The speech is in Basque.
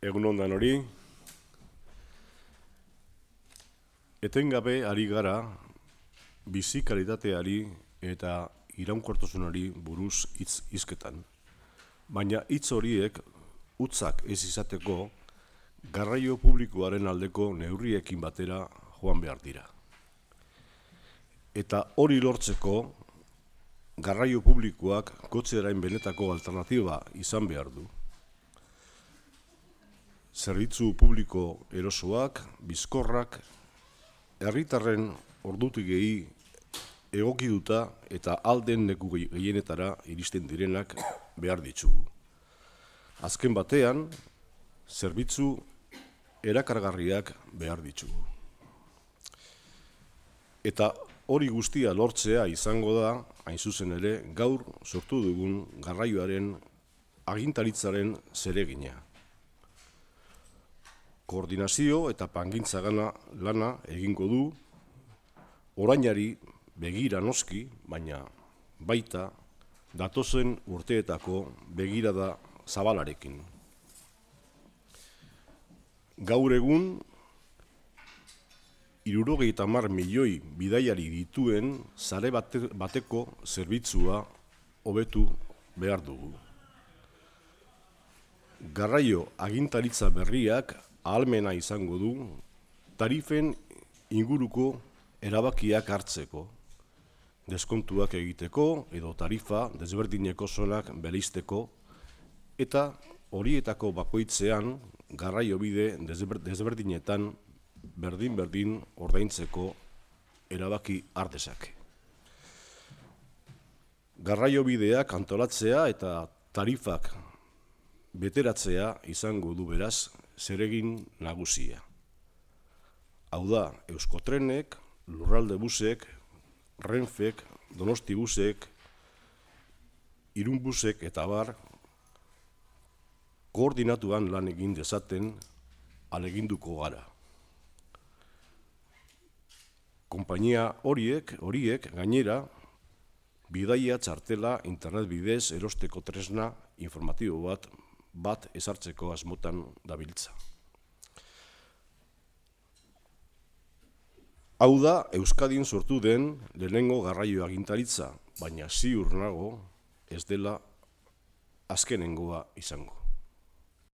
Egun ondan hori, etengabe ari gara bizi kalitateari eta iraunkortasunari buruz hizketan. Baina hitz horiek hutzak ez izateko garraio publikoaren aldeko neurriekin batera joan behar dira. Eta hori lortzeko garraio publikoak kotxearen benetako alternatiba izan behar du. Zerbitzu publiko erosoak, bizkorrak, herritarren ordutegei egokituta eta alden leku gehienetara iristen direnak behar ditugu. Azken batean, zerbitzu erakargarriak behar ditugu. Eta hori guztia lortzea izango da, hain zuzen ere, gaur sortu dugun garraioaren agintaritzaren zeregina. Koordinazio eta plangintza lana egingo du, orainari begira noski, baina baita datozen urteetako begirada zabalarekin. Gaur egun, 70 milioi bidaiari dituen sare bateko zerbitzua hobetu behar dugu. Garraio agintaritza berriak ahalmena izango du tarifen inguruko erabakiak hartzeko, deskontuak egiteko edo tarifa desberdineko zonak bereizteko eta horietako bakoitzean garraio bide desberdinetan berdin ordaintzeko erabaki har dezake. Garraio bideak antolatzea eta tarifak beteratzea izango du beraz zeregin nagusia. Hau da, Euskotrenek, Lurralde Busek, Renfek, Donosti Busek, Irun Busek eta abar, koordinatuan lan egin dezaten ahaleginduko gara. Konpainia horiek gainera, bidaia txartela internet bidez erosteko tresna informatibo bat ezartzeko asmotan dabiltza. Hau da, Euskadin sortu den lehenengo garraio agintaritza, baina ziur nago ez dela azkenengoa izango.